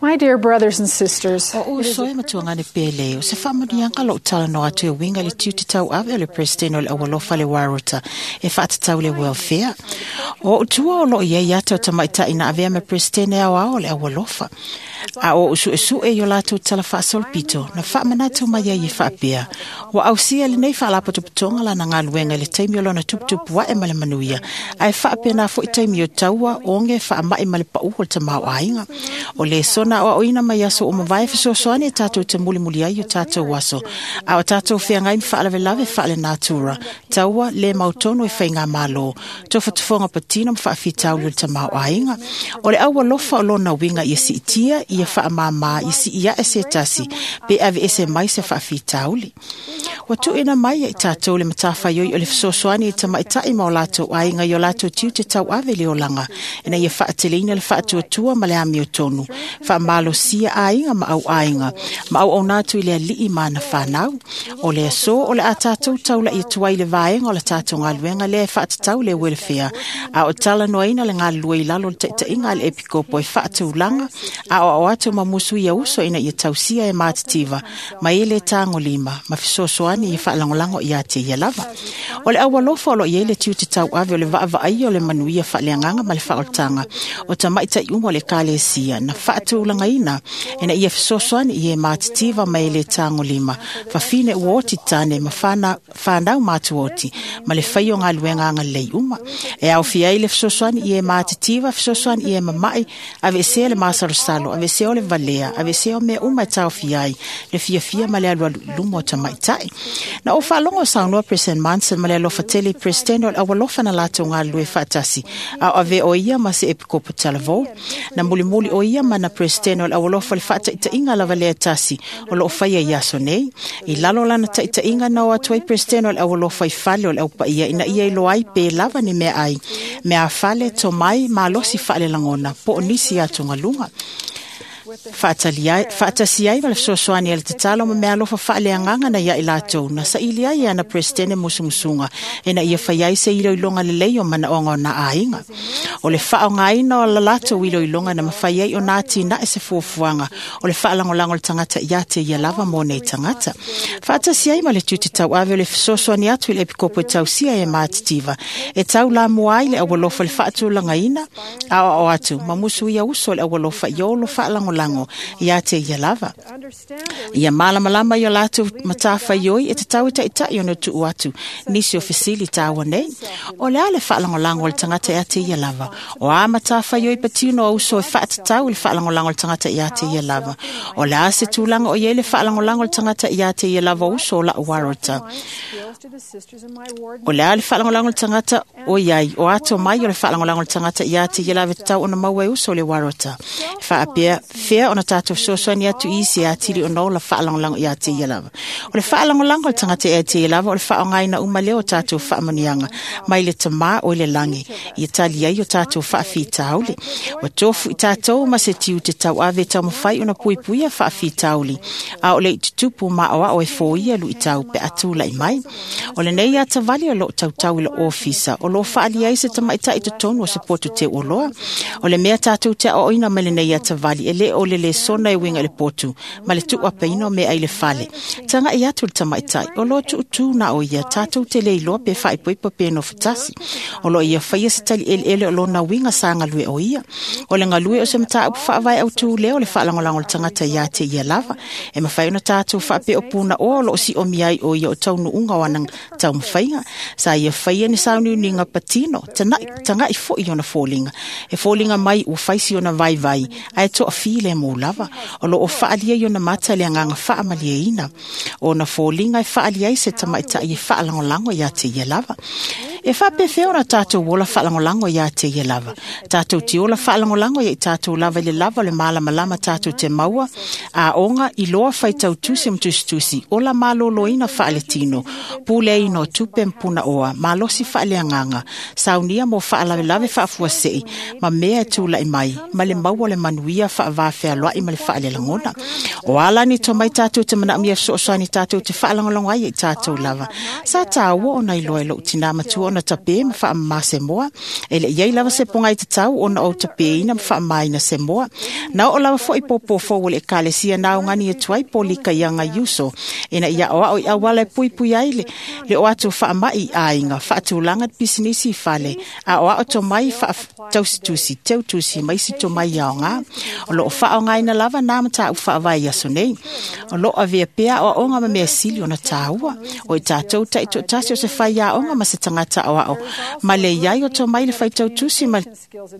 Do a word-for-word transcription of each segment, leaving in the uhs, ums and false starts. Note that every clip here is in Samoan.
My dear brothers and sisters, O uso e matuangane pele o se whaamanianga lo tala no atu e winga le tiute tau ave o le president o le awalofa le warota e whaatatau le welfare. O utua o lo ia i ata o tamaita ina avea me president e au ao le awalofa. A o usu e su e yo lātou tala whaasolopito na whaamanatu mai ai e whaapea. Wa ausia le nei whaalapotopotonga la na ngaluenga le taimi o lona tuputupu wae ma le manuia. Ae whaapea nā fo i taimi o taua onge whaamai ma le pau o le tamau ainga. O le sona o oina mai aso o mawai fesoasoani e tātou te mulimuli ai o tātou aso. A o tātou whiangai whaalawelawe whaale natura. Taua le mautono e whai ngā malo. Tofatofonga patino ma whaafitauli o le tamau ainga. O le aua lofa o lona winga ia siitia, ia whaamama, ia si ia e se tasi, pe ave ese mai se whaafitauli. Wa tuina mai e tātou le matawhaioi o le fesoasoani e tamaitai ma o lātou ainga i o lātou tiu te tau ave le olanga. Ina ia whaateleina le whaatuatua ma le amio tonu. Whaamalosia ainga ma au ainga. Ma au au nātu i le alii mana whanau. O le aso o le a tātou taula i tuai le vaenga o le tātou ngā le whaatatau le welfare. A o tala noaina le ngā lua i lalo le taitainga le epikopo e whaatulanga. A o au atu ma musu ia uso ina ia tausia e mātitiva. Ma ele tāngo lima. Ma fesoasoani i whaalangolango i ate ia lava. O le awalofa o lo ia le tiu te tau ave o le vaavaai o le manuia whaaleanganga ma le whaoltanga. O tamaitai uma o le kalesia na whaatulanga ina ia fesoasoani i e mātitiva ma ele tāngo lima. Whawhine uoti tāne ma whana, whanau mātuoti ma le whai o ngā luenga anga lei uma. E au whiai le fesoasoani i e mātitiva, fesoasoani i e mamai, ave esea le māsarosalo, ave esea o le valea, ave esea o mea uma e tau whiai, le fiafia ma le alualu lumo o tamaitai. Na o whaalongo saunoa President Monson ma le alofa tele President o le awalofa na lātou ngā lue whaatasi. A o ave o ia ma se epikopo talavou. Na mulimuli o ia ma na President o le awalofa le whaataitainga lava lea tasi o lo whaia i aso nei. I lalo lana taitainga na o atuai President o le awalofa i fale o le aupaia ina ia i loai pe lava ni mea ai. Mea fale to mai malosi whaale langona po o nisi atu ngalunga. Whaatasi ai ma le fesoasoani a le tatalo ma mea alofa whaaleanganga na ia i lātou na saili ai ana presidente musumusunga ina ia whai ai se iloilonga lelei o manaonga o nā ainga. O le whaongaina o la lātou iloilonga na mawhai ai o nā tina e se fuafuanga o le whaalangolango le tangata ia te ia lava mō nei tangata. Whaatasi ai ma le tute tau ave o le fesoasoani atu i le epikopo e tausia e mātitiva. E tau la mua ai le awalofa le whaatulanga a o atu ma musu ia uso le awalofa i olo whaalangolango ia te ia lava. Ia malamalama i o lātou matawhaioi e te tau e taitai o no tuu atu. Nisi o fesili tāua nei. O le ale whaalangolango le tangata ia te ia lava. O a matawhaioi patino o uso e whaatatau le whaalangolango le tangata ia te ia lava. O le a se tūlanga o ia le whaalangolango le tangata ia te ia lava uso o la uarota. O le a le whaalangolango le tangata o iai. O ato mai o le whaalangolango le tangata ia te ia lava te tau ona maua e uso o le warota. Whaapea whea ona tātou fesoasoani atu i se atili o nola whaalangolango ia te ia lava. O le whaalangolango le tangata ia te ia lava o le whaongaina uma leo o tātou whaamanianga mai le tamā o le langi i tali ai o tātou whaafitauli. O tofu i tātou ma se tiu te tau ave tau mawhai ona puipuia whaafitauli. A o le i tutupu ma o ao e fōia lu i tau pe atu lai mai. O le nei atawali o lo tautau i le ofisa o lo whaali ai se tamaitai totonu o se potu te uloa. O le mea tātou te aoina ma le nei atawali e le o le le sona e winga le potu ma le tuapeina o mea i le fale. Tanga i atu le tamaitai o lo tuutu na o ia tātou te le iloa pe whaipoipo pe no fatasi. O lo ia whaia se tali ele ele o lo na winga sa ngalue o ia. O le ngalue o se mata upu whaavai au tū leo le whaalangolango le tangata ia te ia lava. E mawhai ona tātou whaape o pūna o lo si o miai o ia o taunu unga o anang tau mawhainga. Sa ia whaia ni sauni ni ngā patino tanga i fo i ona fōlinga. E fōlinga mai o whaisi ona vai vai. Ae toa file mō lava. O lo o whaalia i ona mata le anganga whaamalia ina. O na fōlinga e whaalia i se tamaitai e whaalangolango ia te ia lava. E whapewhea ora tātou ola whaalangolango ia te ia lava. Tātou te ola whaalangolango ia i tātou lava i le lava o le malamalama tātou te maua. A onga i loa whaitau tusi mtusi. Ola maloloina whaaletino. Pule ino tupe mpuna oa. Malosi whaaleanganga. Saunia mo whaalawelawe whaafuasei. Ma mea e tūla i mai. Ma le maua le manuia whaavawhea loa i ma le whaalelangona. O ala ni tō mai tātou te manaumia soosani tātou te whaalangolango ai i tātou lava. Sa tāua o nei loe lo tina matua ona tape ma faamama se moa. E le i ai lava se pogai tatau ona ou tapeina ma faamamaina se moa. Na oo lava fo'i pōpō fou o le Ekalesia na augani atu ai polika i aga i uso ina ia aoao i auala e puipui ai le, le o atu faama'i i aiga, faatulaga le pisinisi i fale, aoao tomai faatausitusi, teutusi ma isi tomai aoga. O loo faaaogaina lava na mataupu faavae i aso nei. O loo avea pea aoaoga ma mea sili ona tāua. O i tatou taitoatasi o se faiaoga ma se tagata aoao ma le iai o tomai le faitautusi ma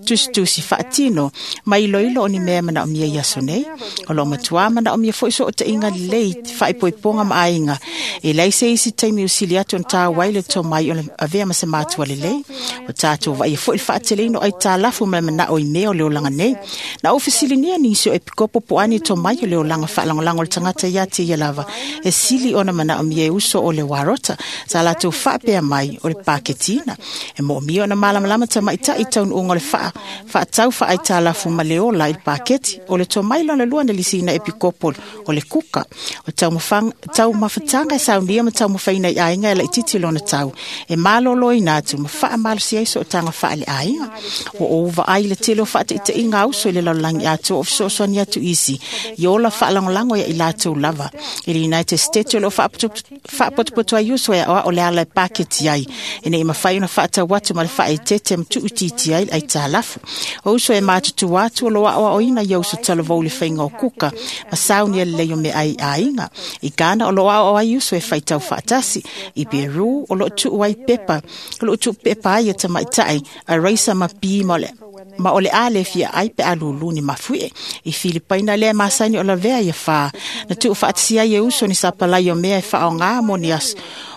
tusitusi faatino ma iloilo o ni mea e manaomia i aso nei. O loo matuā manaomia foi sootaiga lelei, faaipoipoga ma aiga. E leai se isi taimi usili atu ona tāua ai le tomai o le avea ma se matua lelei. O tatou vaaia foi le faateleina o aitalafu ma le manao i mea o le olaga nei. Na ou fesiligia nisi o epikopo po o a ni tomai o le olaga faalagolago o le tagata ia te ia lava e sili ona manaomia e uso o le Warota. Sa latou faapea mai o le paketina. E moomia ona malamalama tamaitai i taunuuga o le faa, faatau faaaitalafu ma le ola i le paketi. O le tomai lona lua na lisiina epikopo o le kuka. O taumafataga e saunia ma taumafaina i aiga e laititi lona tau. E maloloina atu ma faamalosi ai sootaga faaleaiga. Ua ou vaai le tele o faataitaiga a uso i le lalolagi atoa o fesoasoani atu isi i ola faalagolago ia i latou lava. I le United States o loo faapotopoto ai uso e aoao le ala e paketi ai ina ia mafai ona faatau atu ma le faaeteete ma tuuitiitia ai le aitalafu. O uso e matutua atu o loo aoaoina ia uso talavou i le faiga o kuka ma saunia lelei o meaai i aiga. I Ghana o loo aoao ai uso e faitau faatasi. I Peru o loo tuu ai pepa, o loo tuu pepa ai e tamaitai a raisa ma pi ma o le ma o le a le fia ai pe a lulu ni mafuie. I Filipaina lea masani o lavea ia whā. Na tuu faatasia ai e uso ni sapalai o mea e whaonga mo ni aso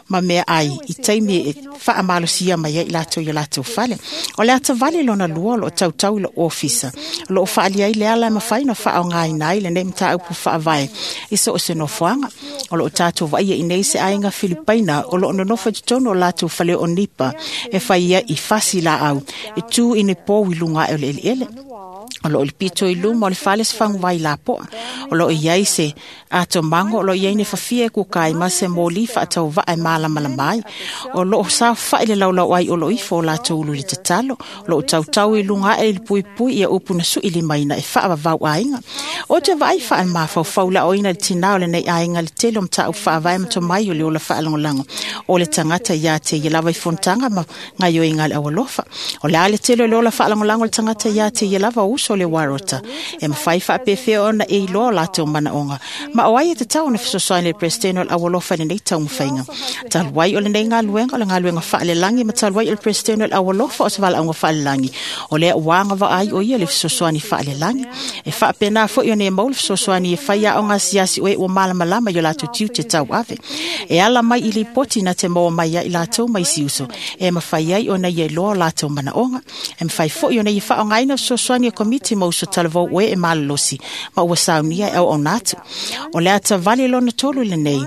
ma mea ai i taimi e faamalosia mai ai latou i o latou fale. O le atavale lona lua o loo tautau i lou ofisa. O loo faaali ai le ala e mafai ona faaaogaina ai lenei mataupu faavae i so o se nofoaga. O loo tatou vaaia i nei se aiga Filipaina o loo nonofo i totonu o latou fale o nipa e fai ai i fasi laau e tu i ni pou i luga ae o le eleele. O loo le pito i luma o le fale se faguvai lapoa. O loo iai se atomago o loo iai ni fafia e kuka ai ma se moli faatauvaa e malamalama ai. O loo saofai le laulau ai o loo ifo o latou ulu i le tatalo. O loo tautau i luga ae i le puipui ia upu na sui limaina e faavavau aiga. O te vaai faamafaufau le aoina i le tinā o lenei aiga le tele o mataupu faavae ma tomai o le ola faalagolago o le tagata ia te ia lava i fonotaga ma gaioiga a le aualofa. O le a le tele o le ola faalagolago o le tagata ia te ia lava o uso o le Warota. E mafai faapefea ona e iloa o latou manaoga. Ma o ai e tatau ona fesoasoani le Peresetene o le aualofa i lenei taumafaiga. Talu ai o lenei galuega o le galuega faalelagi ma talu ai o le Peresetene o le aualofa o se valaauga faalelagi. O lea ua agavaa ai o ia le fesoasoani faalelagi. E faapena foi ona e maua le fesoasoani e fai aoga asiasi o e ua malamalama i o latou tiute tauave. E ala mai i lipoti na te maua mai ai latou mai isi uso. E mafai ai ona ia iloa o latou manaoga. E mafai foi ona ia faaaogaina fesoasoani a komiti ma uso talavou o e e malolosi ma ua saunia e auauna atu. O le atavale lona tolu lenei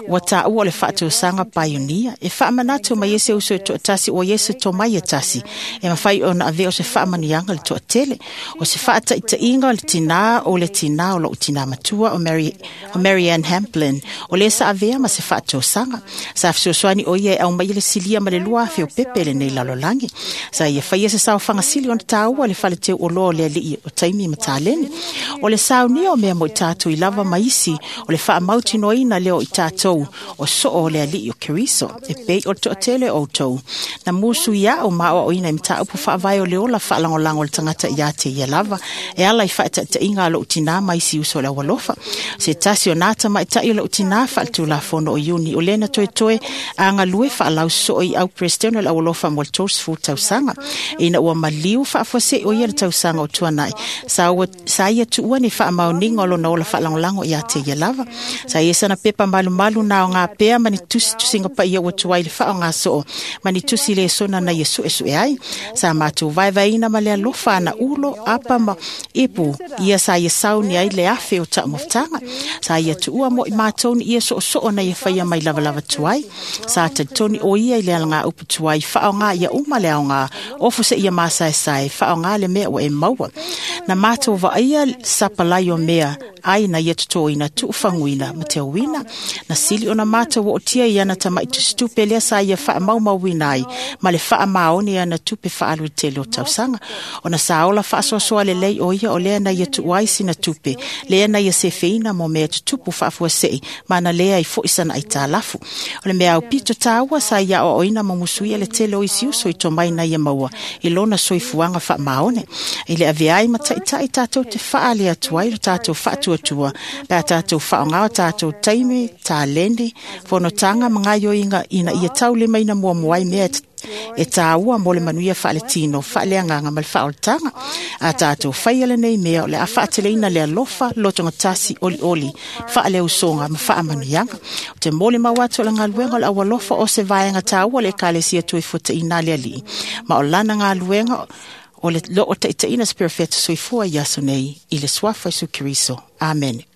ua taua o le faatosaga paionia e faamanatu mai ai se uso e toatasi ua ia se tomai e tasi e mafai ona avea o se faamanuiaga le toatele. O se faataitaiga o le tinā o le tinā o lou tinā matua o Mary, o Mary Ann Hamplin o le sa avea ma se faatosaga. Sa fesoasoani o ia e aumai le silia ma le lua afe o pepe lenei lalolagi. Sa ia faia se saofaga sili ona tāua le faleteu oloa o le alii o taimi ma taleni. O le saunia o mea mo i tatou i lava ma isi o le faamautinoaina lea o i tatou o soo o le alii o Keriso e pei o le toatele o outou. Na musu ia o maaoaoina i mataupu faavae o le ola faalagolago o le tagata ia te ia lava e ala i faataitaiga a lou tinā ma isi uso o le aualofa. Se tasi o nā tamaitai o lou tinā faaletulafono o Iuni o lena toetoe agalue faalausoo i au Peresetene o le aualofa mo le tolusefulu tausaga. Ina ua maliu faafuasei o ia le tausaga o tuanai. Sa, ua, sa ia tuua ni faamaoniga o lona ola faalagolago ia te ia lava. Sa ia sana pepa malumalu na o ngā pea ma ni tusi tusinga paia ua tuai le faaaogasoo ma ni tusi le sona na ia suesue ai. Sa matou vaevaeina ma le alofa ana ulo, apa ma ipu ia sa ia sauni ai le afe o taumafataga. Sa ia tuua mo i matou ni ia soosoo na ia faia mai lavalava tuai. Sa talitoni o ia i le alagaupu tuai faaoga ia uma le aoga ofo se ia masaesae faaoga le mea ua e maua. Na mātou vaaia sapalai o mea ai na ia totoina tuufaguina ma teuina. Na sili ona mātou ootia i ana tama'i tusitupe lea sa ia faamaumauina ai ma le faamaoni i ana tupe faaalu i le tele o tausaga. Ona sa ola faasoasoa lelei o ia o lea na ia tuu ai sina tupe, lea na ia sefeina mo mea tutupu faafuasei ma na lea ai fo'i sana aitalafu. O le mea aupito tāua sa ia aoaoina ma musuia le tele o isi uso i tomai na ia maua i lona soifuaga faamaone. I le avea ai ma taʻitaʻi tatou te faale atu ai lo tatou faatuatua pe a tatou faaaogā o tatou taimi, taleni, fonotaga ma gaoioiga ina ia taulimaina muamua ai mea e tāua mo le manuia faaletino, faaleagaga ma le faaolataga. A tatou faia lenei mea o le a faateleina le alofa, lotogatasi, olioli, faaleusoga ma faamanuiaga. O te molimau atu o le galuega o le aualofa o se vaega tāua o le Ekalesia Toefuataiga a le Alii, ma o lana galuega o le loo taitaiina se perofeta soifua i aso nei i le suafa o Iesu Keriso. Amene.